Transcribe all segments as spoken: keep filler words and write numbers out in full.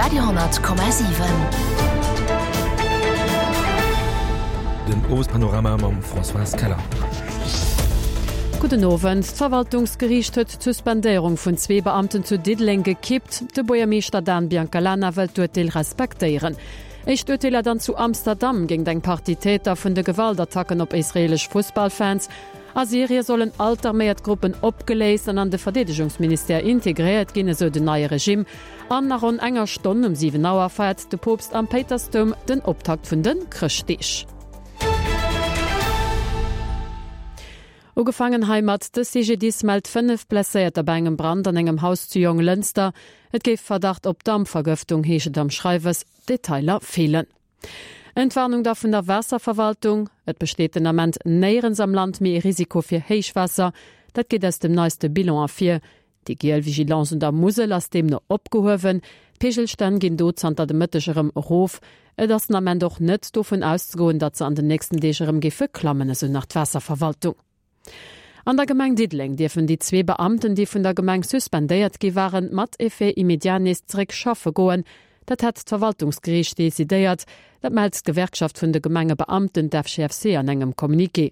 Radio hundert Komma siwen. Den Owespanorama mam Françoise Keller. Gudden Owend. D'Verwaltungsgeriicht huet d'Suspendéierung vun zwee Beamten zu Diddeleng gekippt. De Buergermeeschter Dan Biancalana wëllt d'Urteel respektéieren. Éischt Urteeler dann zu Amsterdam géint eng Partie Täter vun de Gewaltattacken op israeelesch Fussballfans. A Syrie sollen all d'arméiert Gruppen opgeléist an an de Verdeedegungsministère integréiert ginn, esou den neie Regime. An a ronn enger Stonn, um siwen Auer, feiert de Poopst am Péitersdoum den Optakt vun de Chrëschtdeeg. Ugefaangen heimat, De C G D I S mellt fënnef Blesséierter bei engem Brand an engem Haus zu Jonglënster. Et géif Verdacht op Dampvergëftung, heescht et am Schreiwes, Detailer feelen. Entwarnung da vun der Waasserverwaltung, Et besteet den Ament néierens am Land méi e Risiko fir Héichwaasser. Dat geet aus dem neiste Bilan ervir. Déi giel Vigilance un der Musel ass deemno opgehuewen. D'Peegelstänn ginn do zanter de Mëtteg erëm erof. Et ass den Ament och net dovun auszegoen, datt se an den nächsten Deeg erëm géife klammen, esou nach d'Waasserverwaltung. An der Gemeng Diddeleng dierfen déi zwee Beamten, déi vun der Gemeng suspendéiert gi waren, mat Effet immédiat nees zeréck schaffe goen. Dat hätt d'Verwaltungsgeriicht decidéiert. Dat mellt d'Gewerkschaft vun de Gemengebeamten, d'F G F C, an engem Communiqué.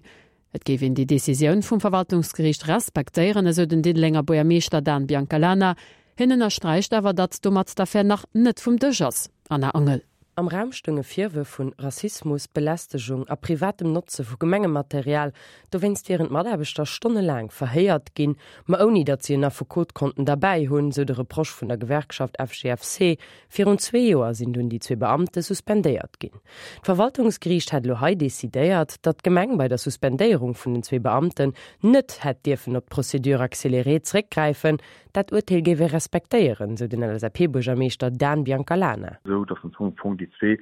Et géif een déi Decisioun vum Verwaltungsgeriicht respektéieren, esou den Diddelenger Buergermeeschter Dan Biancalana. Hien ënnersträicht awer, datt domat d'Affär nach net vum Dësch ass. Anna Angel. Am Raum stounge Virwërf vun Rassismus, Belästegung a privatem Notze vu Gemengematerial. Dowéinst wieren d'Mataarbechter stonnelaang verhéiert ginn, ma ouni datt si en Affekot konnten derbäi hunn, sou de Reproche vun der Gewerkschaft F G F C. Virun zwee Joer sinn dunn déi zwee Beamte suspendéiert ginn. D'Verwaltungsgeriicht hätt elo hei decidéiert, datt d'Gemeng bei der Suspendéierung vun den zwee Beamten net hätt dierfen op d'Procédure accélérée zeréckgräifen. Dat Urteel géif ee respektéieren, sou den L S A P-Buergermeeschter Dan Biancalana. Sou datt am Fong déi zwee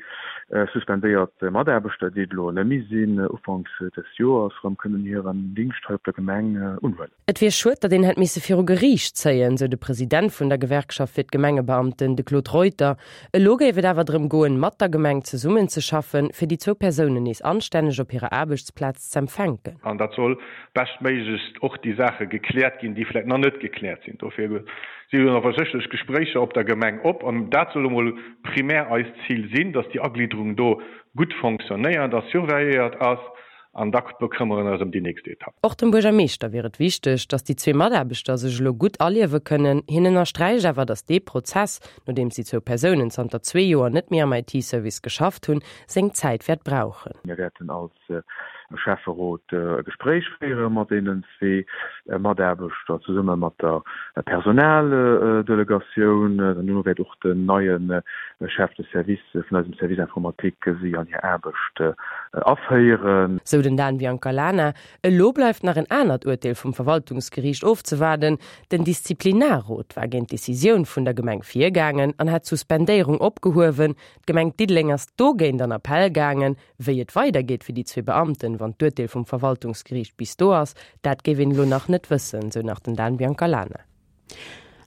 suspendéiert Mataarbechter, déi et elo net méi sinn, ufanks des Joers erëm kënnen hiren Dingscht hei op der Gemeng unhuelen. Et wier schued, datt een hätt misse viru Geriicht zéien, sou de President vun der Gewerkschaft fir d'Gemengebeamten, de Claude Reuter. Elo géif et awer drëm goen, mat der Gemeng zesummenzeschaffen, fir déi zwou Persounen nees anstänneg op hirer Aarbechtsplaz z'empfänken. An dat soll beschtméiglechst och déi Saache gekläert ginn, déi vläicht nach net gekläert sinn. Dofir si jo awer sécherlech Gespréicher op der Gemeng op an dat soll emol primär eist Zil sinn, datt déi Agliederung do gutt fonctionnéiert a surveilléiert ass an da bekëmmere eis ëm déi nächst Etapp. Och dem Buergermeeschter wier et wichteg, datt déi zwee Mataarbechter sech elo gutt aliewe kënnen. Hien ënnersträicht awer, datt dee Prozess, nodeems déi zwou Persounen zanter zwee Joer net méi am I T-Service geschafft hunn, seng Zäit wäert brauchen. Mir wäerten als Schäfferot e Gespréich féiere mat deenen zwee Mataarbechter zesumme mat der Personaldelegatioun. Duerno wäert och den neie Chef de Service vun eisem Service informatique si an hir Aarbecht aféieren. Sou den Dan Biancalana. Elo bleift nach en anert Urteel vum Verwaltungsgeriicht ofzewaarden. Den Disziplinarrot war géint d'Decisioun vun der Gemeng virgaangen an hat d'Suspendéierung opgehuewen. D'Gemeng Diddeleng ass dogéint an Appell gaangen. Wéi et weidergeet fir déi zwee Beamten, wann d'Urteel vum Verwaltungsgeriicht bis do ass, dat géif een elo nach net wëssen, sou nach den Dan Biancalana.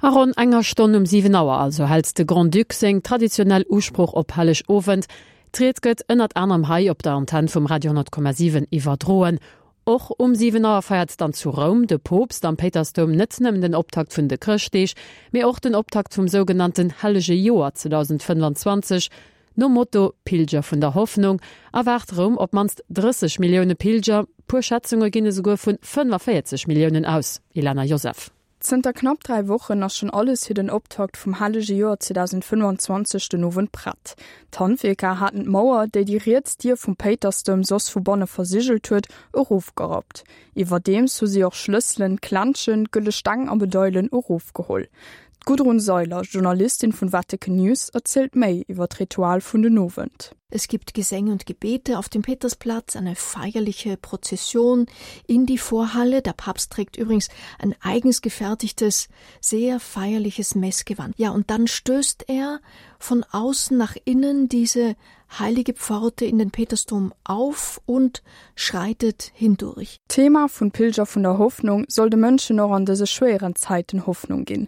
A ronn enger Stonn um siwen Auer also hält de Grand-Duc seng traditionell Usprooch op Hellegowend. D'Ried gëtt ënnert anerem hei op der Antenn vum Radio honnert Komma siwen iwwerdroen. Och um siwen Auer feiert dann zu Roum de Poopst am Péitersdoum net nëmmen den Optakt vun de Chrëschtdeeg, mee och den Optakt vum sougenannten Hellege Joer zweedausendfënnfanzwanzeg. Nom Motto Pilger vun der Hoffnung erwaart Roum op d'mannst drësseg Millioune Pilger, puer Schätzunge ginn esouguer vun fënnefavierzeg Milliounen aus. Ilana Joseph. Zënter knapp dräi Wochen ass schonn alles fir den Optakt vum Hellege Joer zweedausendfënnfanzwanzeg den Owend prett. D'Handwierker haten d'Mauer, déi déi riets Dier vum Péitersdoum soss vu banne versigelt huet, erofgerappt. Iwwerdeems hu si och Schlësselen, Klenschen, gëlle Steng a Medailen erofgeholl. D'Gudrun Seiler, Journalistin vun Vatican News, erzielt méi iwwer d'Ritual vun den Owend. Es gibt Gesänge und Gebete auf dem Petersplatz, eine feierliche Prozession in die Vorhalle. Der Papst trägt übrigens ein eigens gefertigtes, sehr feierliches Messgewand. Ja, und dann stößt er von außen nach innen diese heilige Pforte in den Petersdom auf und schreitet hindurch. D'Thema vun Pilger vun der Hoffnung soll de Mënschen och an dëse schwéieren Zäiten Hoffnung ginn.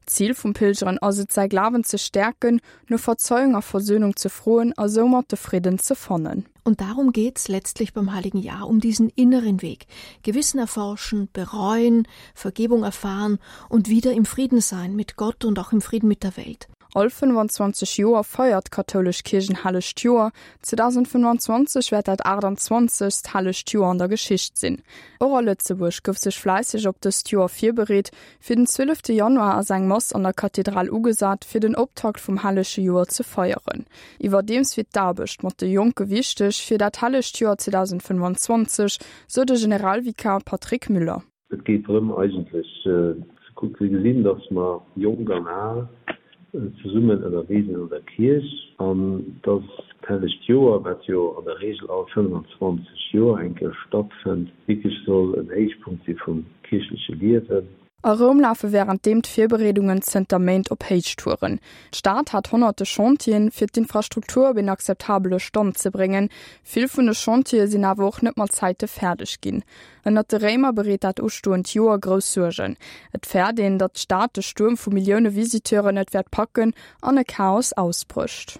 Zil vum Pilgeren ass et säi Glawen ze stäerken, no Verzeiung a Versöhnung ze froen a soumat de Fridden ze fannen. Und darum geht's letztlich beim Heiligen Jahr, um diesen inneren Weg. Gewissen erforschen, bereuen, Vergebung erfahren und wieder im Frieden sein mit Gott und auch im Frieden mit der Welt. All fënnwanzwanzeg Joer feiert d'kathoulesch Kierch en hellegt Joer, zweedausendfënnwanzwanzeg wäert dat aachtanzwanzegst hellegt Joer an der Geschicht sinn. Och a Lëtzebuerg gouf sech fläisseg op dëst Joer virbereet, Fir den zwielefte Januar ass eng Mass an der Kathedral ugesat, fir den Optakt vum hellege Joer ze feieren. Iwwerdeems wier d'Aarbecht mat de Jonke wichteg fir dat hellegt Joer zweedausendfënnwanzwanzeg, sou de Generalvikar Patrick Müller. Et geet drëm eigentlech ze gesinn, datt mer Jonk an Al zesummen ënnerwee sinn an der Kierch an datt d'hellegt Joer, wat jo an der Reegel all fënnwanzwanzeg Joer eng Kéier stattfënnt, wierklech soll en Héichpunkt si vum kierchleche Liewen. A Roum lafe wärenddeem d'Virbereedungen zënter Méint op Héichtouren. D'Stad hat honnerte Chantieren, fir d'Infrastruktur op een akzeptabele Stand ze bréngen. Vill vun de Chantiere sinn awer och net mat Zäite fäerdeg ginn. Ënnert de Réimer bereet dat ustoend Joer grouss Suergen. Et fäert een, datt d'Stad de Stuerm vu Millioune Visiteuren net wäert packen an e Chaos ausbrécht.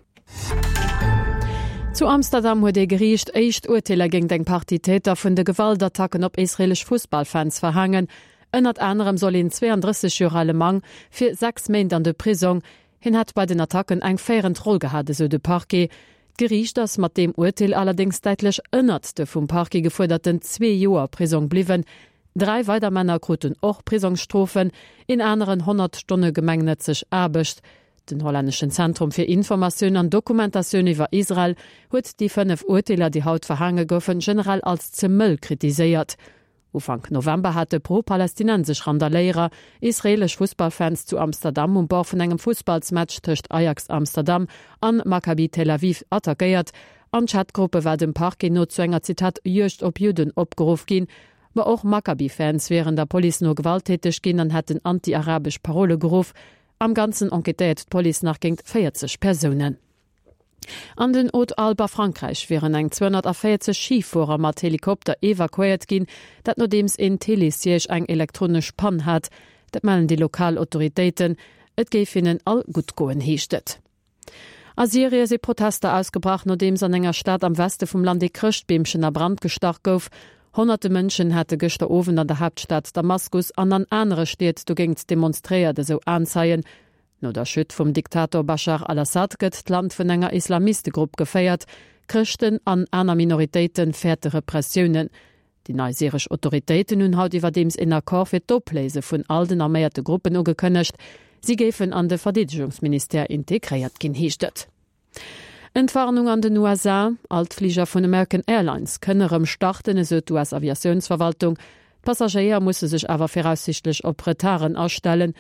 Zu Amsterdam huet ee Geriicht éischt Urteeler géint eng Partie Täter vun de Gewaltattacken op israeelesch Fussballfans verhaangen. Ënnert anerem soll een zwéiandrësseg Joer ale Mann fir sechs Méint an de Prisong. Hien hätt bei den Attacken eng féierend Roll gehat, esou de Parquet. D'Geriicht ass mat deem Urteel allerdéngs däitlech ënnert de vum Parquet gefuerderten zwee Joer Prisong bliwwen. Dräi weider Männer kruten och Prisongsstrofen, een aneren honnert Stonne gemengnëtzeg Aarbecht. Den hollänneschen Zentrum fir Informatioun an Dokumentatioun iwwer Israel huet déi fënnef Urteeler, déi haut verhaange goufen, generell als ze mëll kritiséiert. Ufank November hate pro-palästinensesch Randaléierer israeelesch Fussballfans zu Amsterdam um Bord vun engem Fussballsmatch tëscht Ajax Amsterdam an Maccabi Tel Aviv attackéiert. An Chatgruppe war dem Parquet no zu enger, Zitat, Juegd op Judden opgeruff ginn. Ma och Maccabi-Fans wieren der Police no gewalttäteg ginn an hätten anti-arabesch Parole geruff. Am Ganzen enquêtéiert d'Police nach géint véierzeg Persounen. An den Hautes-Alpes a Frankräich wieren eng zweehonnertavéierzeg Schifuerer mat Helikopter evakuéiert ginn, dat nodeems een Télésiège eng elektronesch Pann hat. Dat mellen déi lokal Autoritéiten. Et géif hinnen all gutt goen, heescht et. A Syrie si Protester ausgebrach, nodeems an enger Stad am Weste vum Land ee Chrëschtbeemchen a Brand gestach gouf. Honnerte Mënschen hätte gëschter Owend an der Haaptstad Damaskus an an anere Stied dogéint demonstréiert, esou Aenzeien. No der Chute vum Diktator Baschar al-Assad gëtt d'Land vun enger Islamistegrupp geféiert. Chrëschten an aner Minoritéite fäerte Repressiounen. Déi nei syresch Autoritéiten hunn haut iwwerdeems een Accord fir d'Opléise vun all den arméierte Gruppen ugekënnegt. Si géifen an de Verdeedegungsministère integréiert ginn, heescht et. Entwarnung an den U S A, All d'Fliger vun American Airlines kënne rëm starten, esou d'U S-Aviatiounsverwaltung. D'Passagéier musse sech awer viraussiichtlech op Retarden astellen.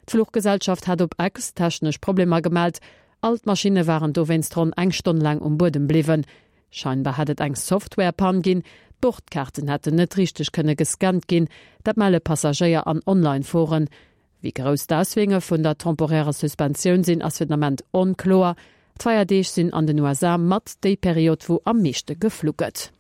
D'Fluchgesellschaft hat op X technesch Problemer gemellt. All d'Maschinne waren dowéinst ronn eng Stonn laang um Buedem bliwwen. Scheinbar hätt et eng Software-Pann ginn, d'Bordkaarten hätten net richteg kënne gescannt ginn, dat melle Passagéier an Online-Foren. Wéi grouss d'Auswierkunge vun der temporärer Suspensioun sinn, ass fir den Ament onkloer. D'Feierdeeg sinn an den U S A mat déi Period, wou am meeschte geflu gëtt.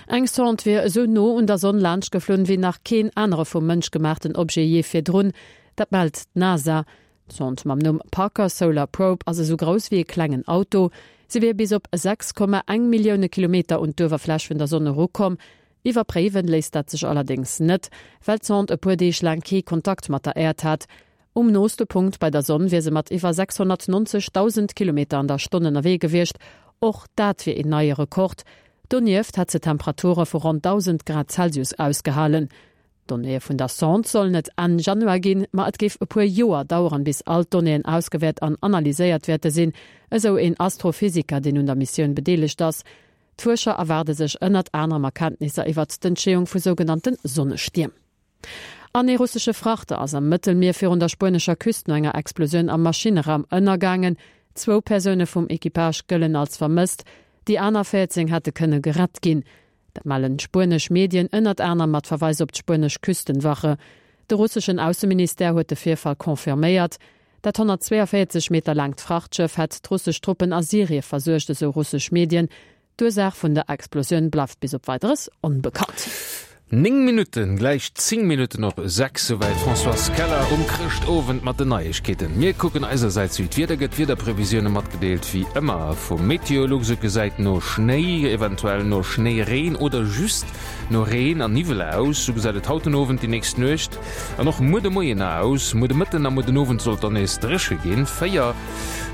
Eng Sonde wier esou no un der Sonn laanscht geflunn, wéi nach keen anere vum Mënsch gemaachten Objet jee virdrun. Dat mellt d'NASA. D'Sonde mam Numm Parker Solar Probe ass esou grouss wéi e klengen Auto. Si wier bis op sechs Komma eng Millioune Kilometer un d'Uewerfläch vun der Sonn erukomm. Iwwerpréiwen léisst dat sech allerdéngs net, well d'Sonde e puer Deeg laang kee Kontakt mat der Äerd hat. Um nooste Punkt bei der Sonn wier se mat iwwer sechshonnertneunzegdausend Kilometer an der Stonn ënnerwee gewiescht, och dat wier een neie Rekord. Donieft hätt se Temperature vu ronn dausend Grad Celsius ausgehalen. D'Donnéeë vun der Sonde sollen et Enn Januar ginn, ma et géif e puer Joer daueren, bis all d'Donnéeën ausgewäert an analyséiert wäerte sinn, esou een Astrophysiker, deen un der Missioun bedeelegt ass. D'Fuerscher erwaarde sech ënnert anerem Erkenntnisser iwwert d'Entstehung vu sougenannte Sonnestierm. An ee russesche Frachter ass am Mëttelmier virun der spuenescher Küst no enger Explosioun am Maschineraum ënnergaangen. Zwou Persoune vum Equipage gëllen als vermësst, déi aner véierzéng hätte kënne gerett ginn. Dat mellen spuenesch Medien ënnert anerem mat Verweis op d'spuenesch Küstenwache. De russeschen Ausseministère huet de Virfall confirméiert. Dat honnertzweeënvéierzeg Meter laangt Frachtschëff hätt d'russesch Truppen a Syrie versuergt, esou russesch Medien. D'Ursaach vun der Explosioun bleift bis op Weideres onbekannt. Néng Minutten, gläich zéng Minutten op sechs, souwäit d'Françoise Keller um Chrëschtowend mat den Neiegkeeten. Mir kucken eisersäits wéi d'Wieder gëtt, Wiederprevisioune matgedeelt wéi ëmmer vum Meteolux. Et gesäit no Schnéi, eventuell no Schnéireen oder just no Reen an Niwwel aus. Sou gesäit et haut den Owend, déi nächst Nuecht an och muer de Moien aus. Muer de Mëtten a muer den Owend soll et dann nees dréche ginn. Véier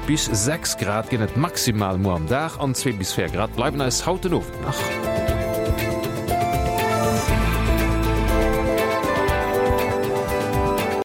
bis sechs Grad ginn et maximal muer am Dag an zwee bis véier Grad bleiwen eis haut den Owend nach.